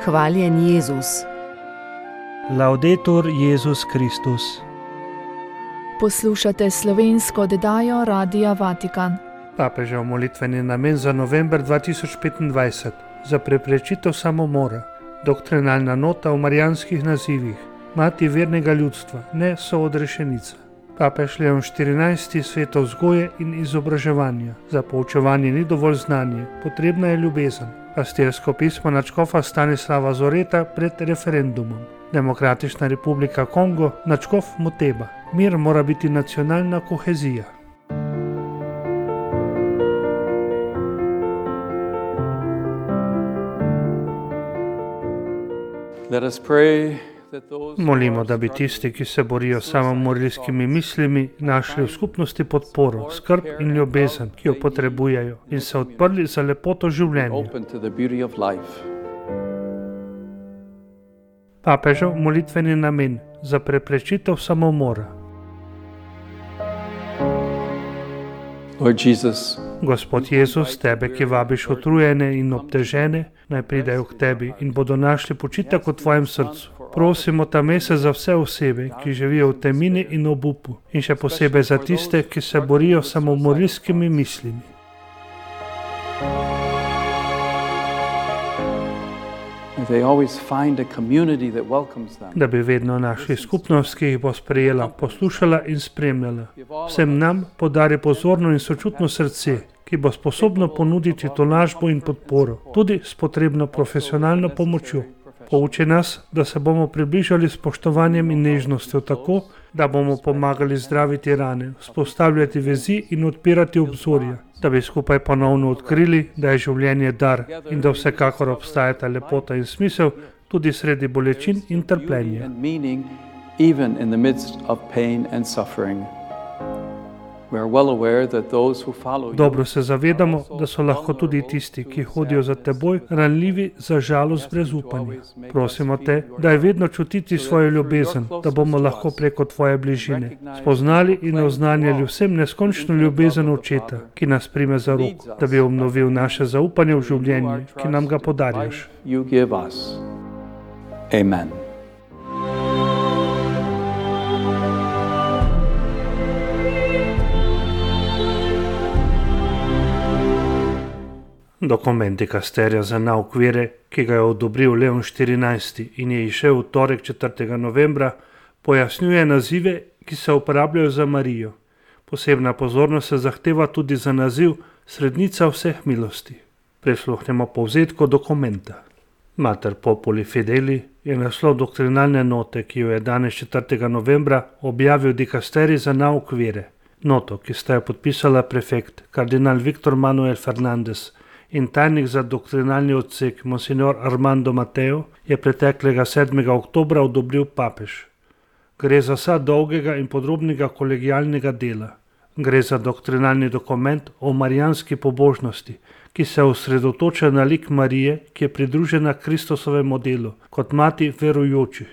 Hvaljen Jezus. Laudetur Jezus Kristus. Poslušate slovensko oddajo Radia Vatikan. Papežev molitveni namen za november 2025 za preprečitev samomora. Doktrinalna nota o marijanskih nazivih. Mati vernega ljudstva, ne soodrešenica. Papež Leon XIV. Sveto vzgoje in izobraževanja. Za poučevanje ni dovolj znanje, potrebna je ljubezen. Pastirsko pismo nadškofa Stanislava Zoreta pred referendumom. Demokratična republika Kongo, nadškof Moteba. Mir mora biti nacionalna kohezija. Molimo, da bi tisti, ki se borijo s samomorilskimi mislimi, našli v skupnosti podporo, skrb in ljubezen, ki jo potrebujejo, in se odprli za lepoto življenja. Papežev molitveni namen za preprečitev samomora. Gospod Jezus, tebe, ki vabiš utrujene in obtežene, naj pridejo k tebi in bodo našli počitek v tvojem srcu. Prosimo ta mesec za vse osebe, ki živijo v temini in obupu, in še posebej za tiste, ki se borijo s samomorilskimi mislimi. Da bi vedno našli skupnost, ki jih bo sprejela, poslušala in spremljala. Vsem nam podari pozorno in sočutno srce, ki bo sposobno ponuditi tolažbo in podporo, tudi s potrebno profesionalno pomočjo. Pouči nas, da se bomo približali s spoštovanjem in nežnostjo tako, da bomo pomagali zdraviti rane, vzpostavljati vezi in odpirati obzorja, da bi skupaj ponovno odkrili, da je življenje dar in da vsekakor obstajata lepota in smisel tudi sredi bolečin in trpljenja. Dobro se zavedamo, da so lahko tudi tisti, ki hodijo za teboj, ranljivi za žalost brez upanja. Prosimo te, da je vedno čutiti svojo ljubezen, da bomo lahko preko tvoje bližine spoznali in oznanjali vsem neskončno ljubezen Očeta, ki nas prime za roko, da bi obnovil naše zaupanje v življenje, ki nam ga podarjaš. Amen. Dokument dikasterija za nauk vere, ki ga je odobril Leon XIV. In je izšel v torek 4. novembra, pojasnjuje nazive, ki se uporabljajo za Marijo. Posebna pozornost se zahteva tudi za naziv Srednica vseh milosti. Prisluhnemo povzetku dokumenta. Mater Populi Fideli je naslov doktrinalne note, ki jo je danes 4. novembra objavil dikasterij za nauk vere. Noto, ki sta jo podpisala prefekt kardinal Viktor Manuel Fernandez in tajnik za doktrinalni odsek monsignor Armando Mateo, je preteklega 7. oktobra odobril papež. Gre za sad dolgega in podrobnega kolegialnega dela. Gre za doktrinalni dokument o marijanski pobožnosti, ki se osredotoča na lik Marije, ki je pridružena Kristusovemu delu, kot mati verujočih.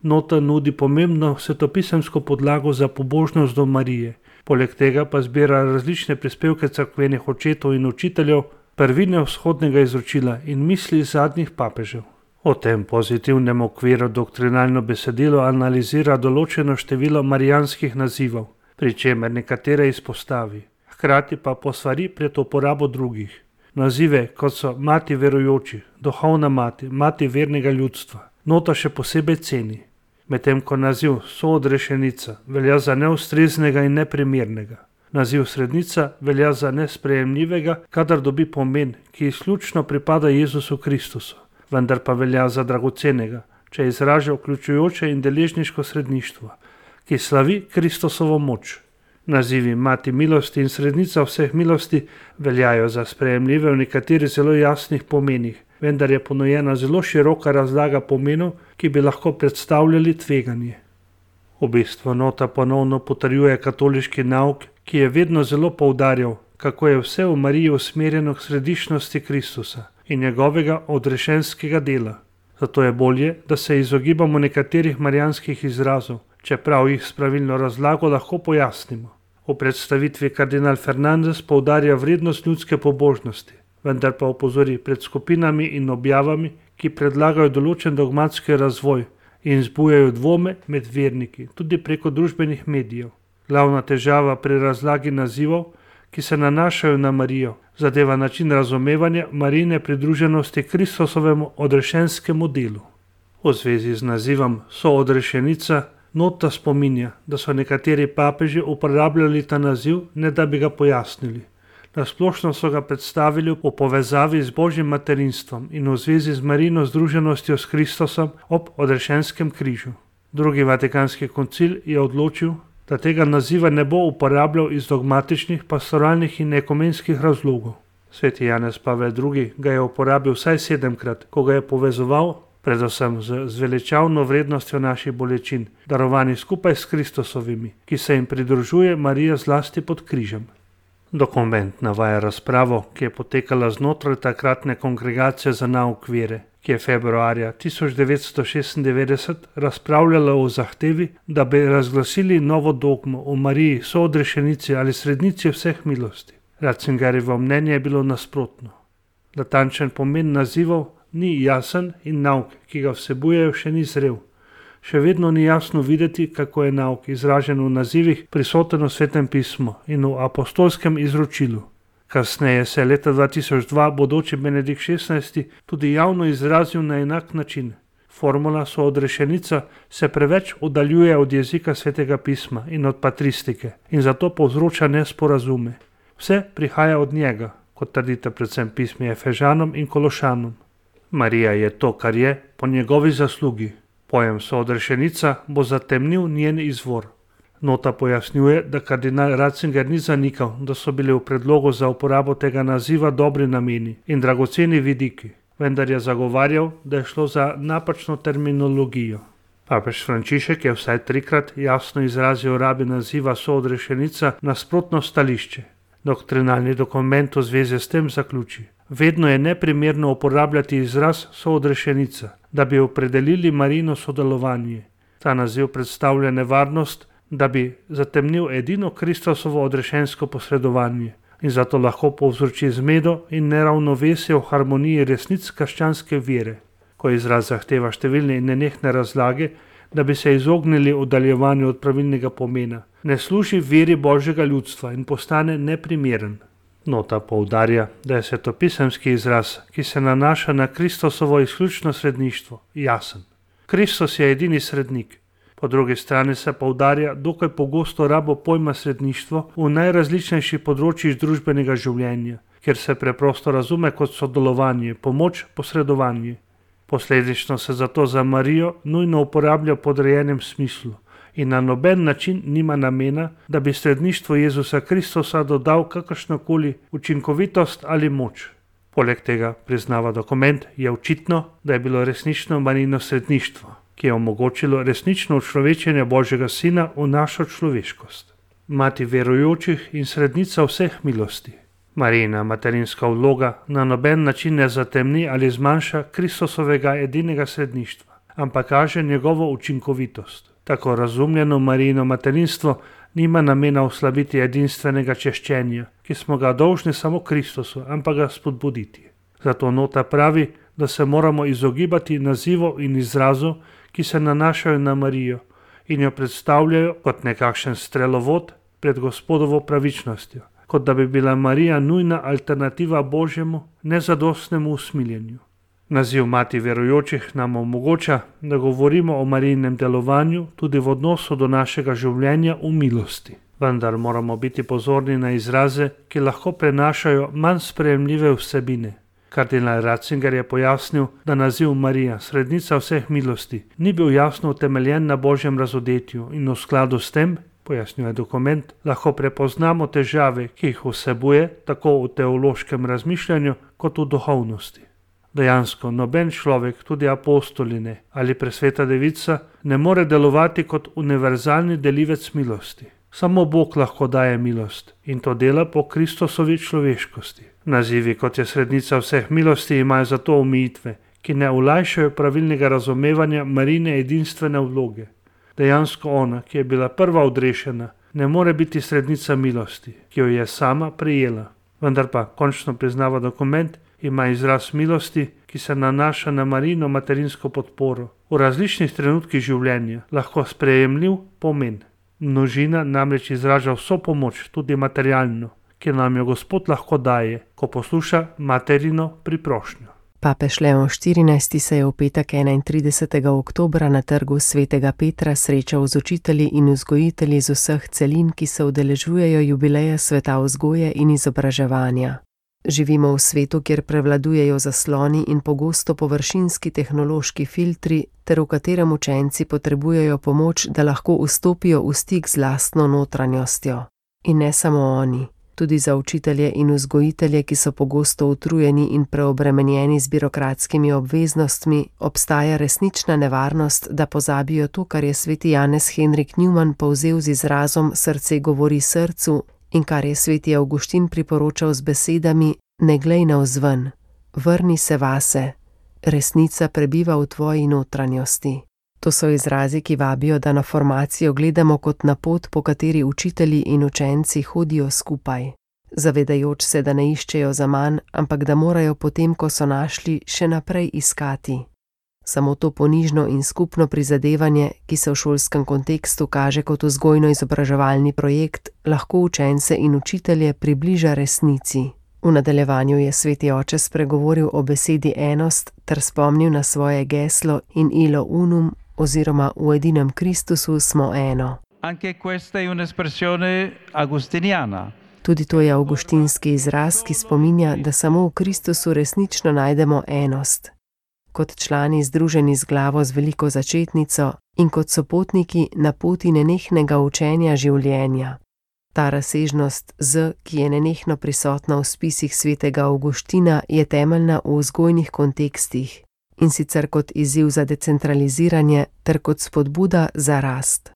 Nota nudi pomembno svetopisemsko podlago za pobožnost do Marije, poleg tega pa zbira različne prispevke cerkvenih očetov in učiteljev, prvine vzhodnega izročila in misli zadnjih papežev. O tem pozitivnem okviru doktrinalno besedilo analizira določeno število marijanskih nazivov, pri čemer nekatere izpostavi, hkrati pa posvari pred uporabo drugih. Nazive, kot so mati verujočih, duhovna mati, mati vernega ljudstva, nota še posebej ceni, medtem ko naziv soodrešenica velja za neustreznega in neprimernega. Naziv srednica velja za nesprejemljivega, kadar dobi pomen, ki izključno pripada Jezusu Kristusu, vendar pa velja za dragocenega, če izraža vključujoče in deležniško sredništvo, ki slavi Kristusovo moč. Nazivi mati milosti in srednica vseh milosti veljajo za sprejemljive v nekaterih zelo jasnih pomenih, vendar je ponujena zelo široka razlaga pomenov, ki bi lahko predstavljali tveganje. V bistvu nota ponovno potrjuje katoliški nauk, ki je vedno zelo poudarjal, kako je vse v Mariji usmerjeno k središčnosti Kristusa in njegovega odrešenskega dela. Zato je bolje, da se izogibamo nekaterih marijanskih izrazov, čeprav jih s pravilno razlago lahko pojasnimo. V predstavitvi kardinal Fernandez poudarja vrednost ljudske pobožnosti, vendar pa opozori pred skupinami in objavami, ki predlagajo določen dogmatski razvoj in zbujajo dvome med verniki, tudi preko družbenih medijev. Glavna težava pri razlagi nazivov, ki se nanašajo na Marijo, zadeva način razumevanja Marijine pridruženosti Kristusovemu odrešenskemu delu. V zvezi z nazivom soodrešenica nota spominja, da so nekateri papeži uporabljali ta naziv, ne da bi ga pojasnili. Na splošno so ga predstavili v povezavi z Božjim materinstvom in v zvezi z Marijino združenostjo s Kristusom ob odrešenskem križu. Drugi vatikanski koncil je odločil, da tega naziva ne bo uporabljal iz dogmatičnih, pastoralnih in ekumenskih razlogov. Sveti Janez Pavel II. Ga je uporabil vsaj 7-krat, ko ga je povezoval predvsem z zveličavno vrednostjo naših bolečin, darovanih skupaj s Kristusovimi, ki se jim pridružuje Marija zlasti pod križem. Dokument navaja razpravo, ki je potekala znotraj takratne kongregacije za nauk vere, ki je februarja 1996 razpravljala o zahtevi, da bi razglasili novo dogmo o Mariji soodrešenici ali srednici vseh milosti. Ratzingerjevo mnenje je bilo nasprotno. Natančen pomen nazivov ni jasen in nauk, ki ga vsebujejo, še ni zrel. Še vedno ni jasno videti, kako je nauk izražen v nazivih prisoten v Svetem pismu in v apostolskem izročilu. Kasneje se je leta 2002 bodoči Benedikt XVI tudi javno izrazil na enak način. Formula soodrešenica se preveč oddaljuje od jezika Svetega pisma in od patristike in zato povzroča nesporazume. Vse prihaja od njega, kot trdite predvsem pismi Efežanom in Kološanom. Marija je to, kar je, po njegovi zaslugi. Pojem soodrešenica bo zatemnil njen izvor. Nota pojasnjuje, da kardinal Ratzinger ni zanikal, da so bili v predlogu za uporabo tega naziva dobri nameni in dragoceni vidiki, vendar je zagovarjal, da je šlo za napačno terminologijo. Papež Frančišek je vsaj 3-krat jasno izrazil rabi naziva soodrešenica nasprotno stališče. Doktrinalni dokument v zvezi s tem zaključi: vedno je neprimerno uporabljati izraz soodrešenica, da bi opredelili Marijino sodelovanje. Ta naziv predstavlja nevarnost, da bi zatemnil edino Kristusovo odrešensko posredovanje in zato lahko povzroči zmedo in neravnovesje v harmoniji resnic krščanske vere. Ko izraz zahteva številne in nenehne razlage, da bi se izognili oddaljevanju od pravilnega pomena, ne služi veri Božjega ljudstva in postane neprimeren. Nota poudarja, da je svetopisemski izraz, ki se nanaša na Kristusovo izključno sredništvo, jasen. Kristus je edini srednik. Po drugi strani se poudarja dokaj pogosto rabo pojma sredništvo v najrazličnejših področjih družbenega življenja, kjer se preprosto razume kot sodelovanje, pomoč, posredovanje. Posledično se zato za Marijo nujno uporablja v podrejenem smislu in na noben način nima namena, da bi sredništvu Jezusa Kristusa dodal kakršnokoli učinkovitost ali moč. Poleg tega, priznava dokument, je očitno, da je bilo resnično Marijino sredništvo, ki je omogočilo resnično učlovečenje Božjega Sina v našo človeškost. Mati verujočih in srednica vseh milosti. Marijina materinska vloga na noben način ne zatemni ali zmanjša Kristusovega edinega sredništva, ampak kaže njegovo učinkovitost. Tako razumljeno Marijino materinstvo nima namena oslabiti edinstvenega češčenja, ki smo ga dolžni samo Kristusu, ampak ga spodbuditi. Zato nota pravi, da se moramo izogibati nazivov in izrazov, ki se nanašajo na Marijo in jo predstavljajo kot nekakšen strelovod pred Gospodovo pravičnostjo, kot da bi bila Marija nujna alternativa Božjemu nezadostnemu usmiljenju. Naziv mati verujočih nam omogoča, da govorimo o Marijinem delovanju tudi v odnosu do našega življenja v milosti. Vendar moramo biti pozorni na izraze, ki lahko prenašajo manj sprejemljive vsebine. Kardinal Ratzinger je pojasnil, da naziv Marija, srednica vseh milosti, ni bil jasno utemeljen na Božjem razodetju in v skladu s tem, pojasnjuje dokument, lahko prepoznamo težave, ki jih vsebuje tako v teološkem razmišljanju kot v duhovnosti. Dejansko noben človek, tudi apostoline ali presveta devica, ne more delovati kot univerzalni delivec milosti. Samo Bog lahko daje milost in to dela po Kristusovi človeškosti. Nazivi, kot je srednica vseh milosti, imajo zato omejitve, ki ne olajšajo pravilnega razumevanja Marijine edinstvene vloge. Dejansko ona, ki je bila prva odrešena, ne more biti srednica milosti, ki jo je sama prejela. Vendar pa, končno priznava dokument, ima izraz milosti, ki se nanaša na Marijino materinsko podporo v različnih trenutkih življenja, lahko sprejemljiv pomen. Množina namreč izraža vso pomoč, tudi materialno, ki nam jo Gospod lahko daje, ko posluša materino priprošnjo. Papež Leon XIV se je v petek 31. oktobra na trgu svetega Petra srečal z učitelji in vzgojitelji z vseh celin, ki se udeležujejo jubileja sveta vzgoje in izobraževanja. Živimo v svetu, kjer prevladujejo zasloni in pogosto površinski tehnološki filtri, ter v katerem učenci potrebujejo pomoč, da lahko vstopijo v stik z lastno notranjostjo. In ne samo oni. Tudi za učitelje in vzgojitelje, ki so pogosto utrujeni in preobremenjeni z birokratskimi obveznostmi, obstaja resnična nevarnost, da pozabijo to, kar je sveti Janez Henrik Newman povzel z izrazom srce govori srcu in kar je sveti Avguštin priporočal z besedami: ne glej navzven, vrni se vase, resnica prebiva v tvoji notranjosti. To so izrazi, ki vabijo, da na formacijo gledamo kot na pot, po kateri učitelji in učenci hodijo skupaj, zavedajoč se, da ne iščejo zaman, ampak da morajo potem, ko so našli, še naprej iskati. Samo to ponižno in skupno prizadevanje, ki se v šolskem kontekstu kaže kot vzgojno-izobraževalni projekt, lahko učence in učitelje približa resnici. V nadaljevanju je sveti oče spregovoril o besedi enost ter spomnil na svoje geslo in illo unum, oziroma v edinem Kristusu smo eno. Anche questa è un'espressione agustiniana. Tudi to je avguštinski izraz, ki spominja, da samo v Kristusu resnično najdemo enost. Kot člani združeni z glavo z veliko začetnico in kot sopotniki na poti nenehnega učenja življenja. Ta razsežnost z, ki je nenehno prisotna v spisih svetega Avguština, je temeljna v vzgojnih kontekstih, in sicer kot izziv za decentraliziranje ter kot spodbuda za rast.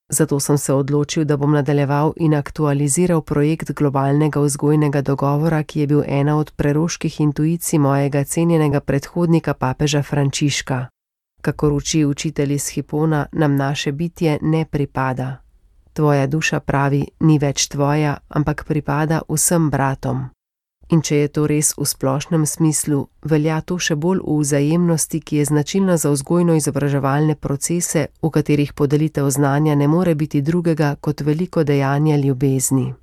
Zato sem se odločil, da bom nadaljeval in aktualiziral projekt globalnega vzgojnega dogovora, ki je bil ena od preroških intuicij mojega cenjenega predhodnika papeža Frančiška. Kakor uči učitelj iz Hipona, nam naše bitje ne pripada. Tvoja duša, pravi, ni več tvoja, ampak pripada vsem bratom. In če je to res v splošnem smislu, velja to še bolj v vzajemnosti, ki je značilna za vzgojno-izobraževalne procese, v katerih podelitev znanja ne more biti drugega kot veliko dejanje ljubezni.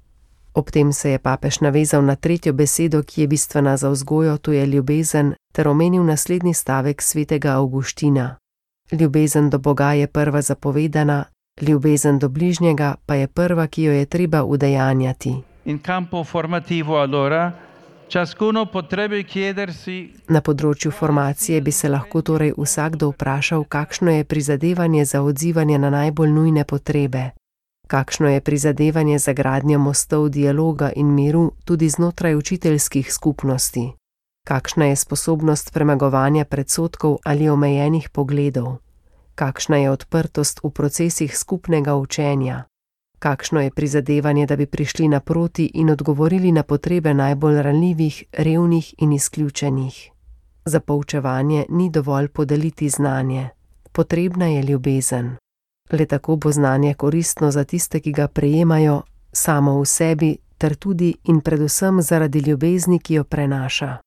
Ob tem se je papež navezal na tretjo besedo, ki je bistvena za vzgojo, to je ljubezen, ter omenil naslednji stavek svetega Avguština. Ljubezen do Boga je prva zapovedana, ljubezen do bližnjega pa je prva, ki jo je treba udejanjati. In campo formativo allora ciascuno potrebbe chiedersi. Na področju formacije bi se lahko torej vsakdo vprašal, kakšno je prizadevanje za odzivanje na najbolj nujne potrebe. Kakšno je prizadevanje za gradnjo mostov dialoga in miru tudi znotraj učiteljskih skupnosti. Kakšna je sposobnost premagovanja predsodkov ali omejenih pogledov. Kakšna je odprtost v procesih skupnega učenja. Kakšno je prizadevanje, da bi prišli naproti in odgovorili na potrebe najbolj ranljivih, revnih in izključenih. Za poučevanje ni dovolj podeliti znanje. Potrebna je ljubezen. Le tako bo znanje koristno za tiste, ki ga prejemajo, samo v sebi, ter tudi in predvsem zaradi ljubezni, ki jo prenaša.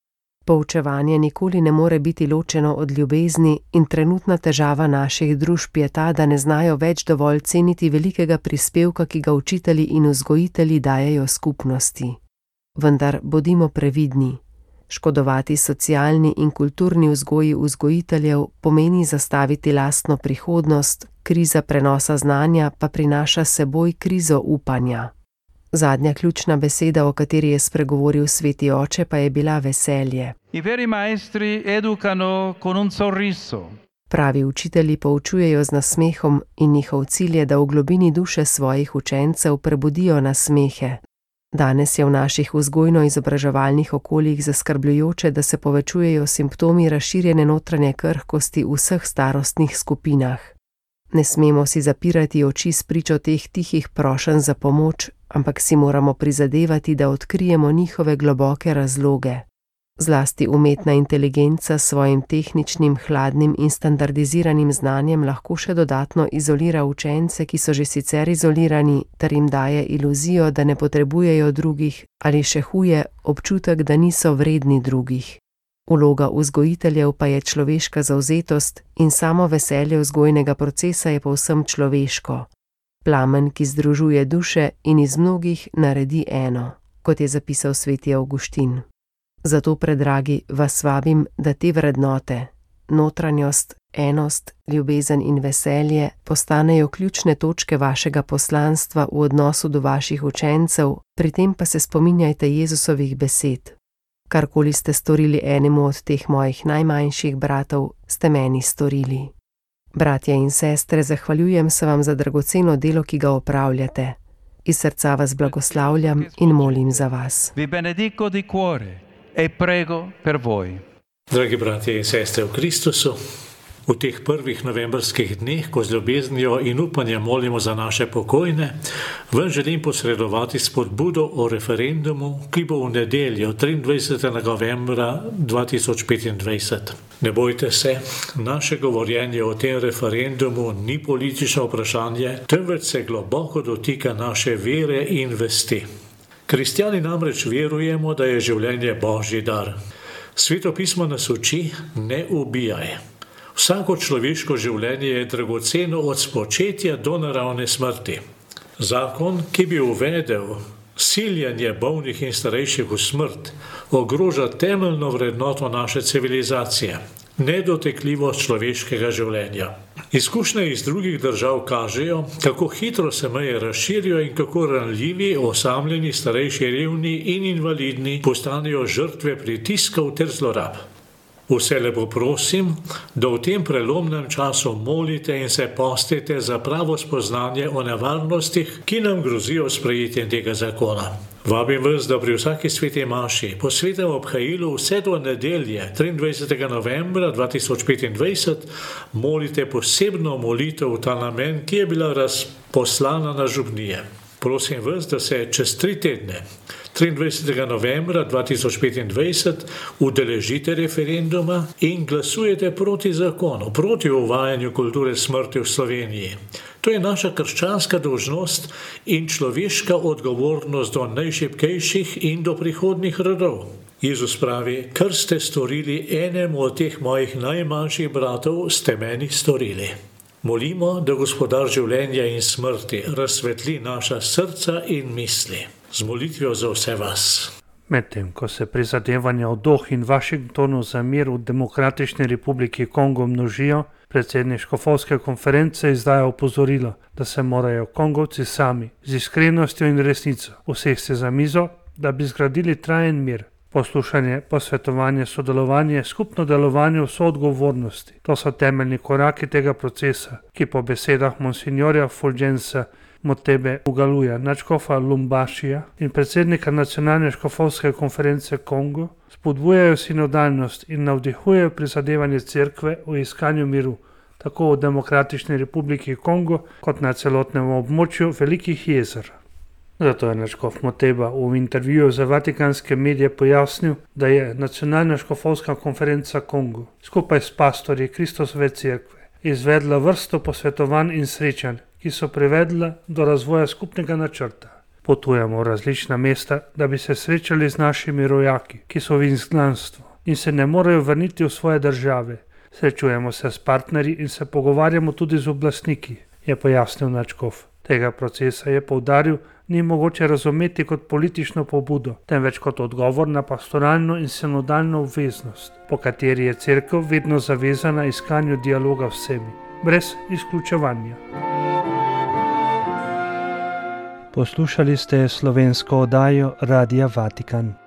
Poučevanje nikoli ne more biti ločeno od ljubezni in trenutna težava naših družb je ta, da ne znajo več dovolj ceniti velikega prispevka, ki ga učitelji in vzgojitelji dajejo skupnosti. Vendar bodimo previdni. Škodovati socialni in kulturni vzgoji vzgojiteljev pomeni zastaviti lastno prihodnost, kriza prenosa znanja pa prinaša s seboj krizo upanja. Zadnja ključna beseda, o kateri je spregovoril sveti oče, pa je bila veselje. I veri maestri educano con un sorriso. Pravi učitelji poučujejo z nasmehom in njihov cilj je, da v globini duše svojih učencev prebudijo nasmehe. Danes je v naših vzgojno-izobraževalnih okoljih zaskrbljujoče, da se povečujejo simptomi razširjene notranje krhkosti v vseh starostnih skupinah. Ne smemo si zapirati oči spričo teh tihih prošenj za pomoč, ampak si moramo prizadevati, da odkrijemo njihove globoke razloge. Zlasti umetna inteligenca s svojim tehničnim, hladnim in standardiziranim znanjem lahko še dodatno izolira učence, ki so že sicer izolirani, ter jim daje iluzijo, da ne potrebujejo drugih, ali še huje, občutek, da niso vredni drugih. Vloga vzgojiteljev pa je človeška zavzetost in samo veselje vzgojnega procesa je povsem človeško. Plamen, ki združuje duše in iz mnogih naredi eno, kot je zapisal sveti Avguštin. Zato, predragi, vas vabim, da te vrednote, notranjost, enost, ljubezen in veselje postanejo ključne točke vašega poslanstva v odnosu do vaših učencev, pri tem pa se spominjajte Jezusovih besed. Karkoli ste storili enemu od teh mojih najmanjših bratov, ste meni storili. Bratje in sestre, zahvaljujem se vam za dragoceno delo, ki ga opravljate. Iz srca vas blagoslavljam in molim za vas. Vi benedico di cuore e prego per voi. Dragi bratje in sestre v Kristusu, v teh prvih novembrskih dneh, ko z ljubeznijo in upanjem molimo za naše pokojne, vam želim posredovati spodbudo o referendumu, ki bo v nedeljo 23. novembra 2025. Ne bojte se, naše govorjenje o tem referendumu ni politično vprašanje, temveč se globoko dotika naše vere in vesti. Kristjani namreč verujemo, da je življenje Božji dar. Sveto pismo nas uči: ne ubijaj. Vsako človeško življenje je dragoceno od spočetja do naravne smrti. Zakon, ki bi uvedel siljenje bolnih in starejših v smrt, ogroža temeljno vrednoto naše civilizacije, nedotekljivost človeškega življenja. Izkušnje iz drugih držav kažejo, kako hitro se meje razširijo in kako ranljivi, osamljeni, starejši, revni in invalidni postanejo žrtve pritiskov ter zlorab. Vse lepo prosim, da v tem prelomnem času molite in se postite za pravo spoznanje o nevarnostih, ki nam grozijo sprejetjem tega zakona. Vabim vas, da pri vsaki sveti maši po svetem obhajilu vse do nedelje 23. novembra 2025 molite posebno molitev v ta namen, ki je bila razposlana na župnije. Prosim vas, da se čez 3 tedne, 23. novembra 2025, udeležite referenduma in glasujete proti zakonu, proti uvajanju kulture smrti v Sloveniji. To je naša krščanska dolžnost in človeška odgovornost do najšibkejših in do prihodnjih rodov. Jezus pravi: kar ste storili enemu od teh mojih najmanjših bratov, ste meni storili. Molimo, da Gospodar življenja in smrti razsvetli naša srca in misli. Z molitvijo za vse vas. Medtem ko se prizadevanja v Dohi in Washingtonu za mir v Demokratični republiki Kongo množijo, predsednik škofovske konference izdaja opozorilo, da se morajo Kongovci sami z iskrenostjo in resnico usesti za mizo, da bi zgradili trajen mir. Poslušanje, posvetovanje, sodelovanje, skupno delovanje v soodgovornosti. To so temeljni koraki tega procesa, ki po besedah monsignorja Fulgensa Motebe Ugaluja, nadškofa Lumbašija in predsednika Nacionalne škofovske konference Kongo spodbujajo sinodalnost in navdihujejo prizadevanje cerkve v iskanju miru, tako v Demokratični republiki Kongo kot na celotnem območju Velikih jezer. Zato je nadškof Moteba v intervjuju za vatikanske medije pojasnil, da je Nacionalna škofovska konferenca Kongo skupaj s pastorji Kristosove cerkve izvedla vrsto posvetovanj in srečanj, ki so privedla do razvoja skupnega načrta. Potujemo v različna mesta, da bi se srečali z našimi rojaki, ki so v izgnanstvu in se ne morejo vrniti v svoje države. Srečujemo se s partnerji in se pogovarjamo tudi z oblastniki, je pojasnil nadškof. Tega procesa, je poudaril, ni mogoče razumeti kot politično pobudo, temveč kot odgovor na pastoralno in sinodalno obveznost, po kateri je cerkev vedno zavezana iskanju dialoga vsemi, brez izključevanja. Poslušali ste slovensko oddajo Radia Vatikan.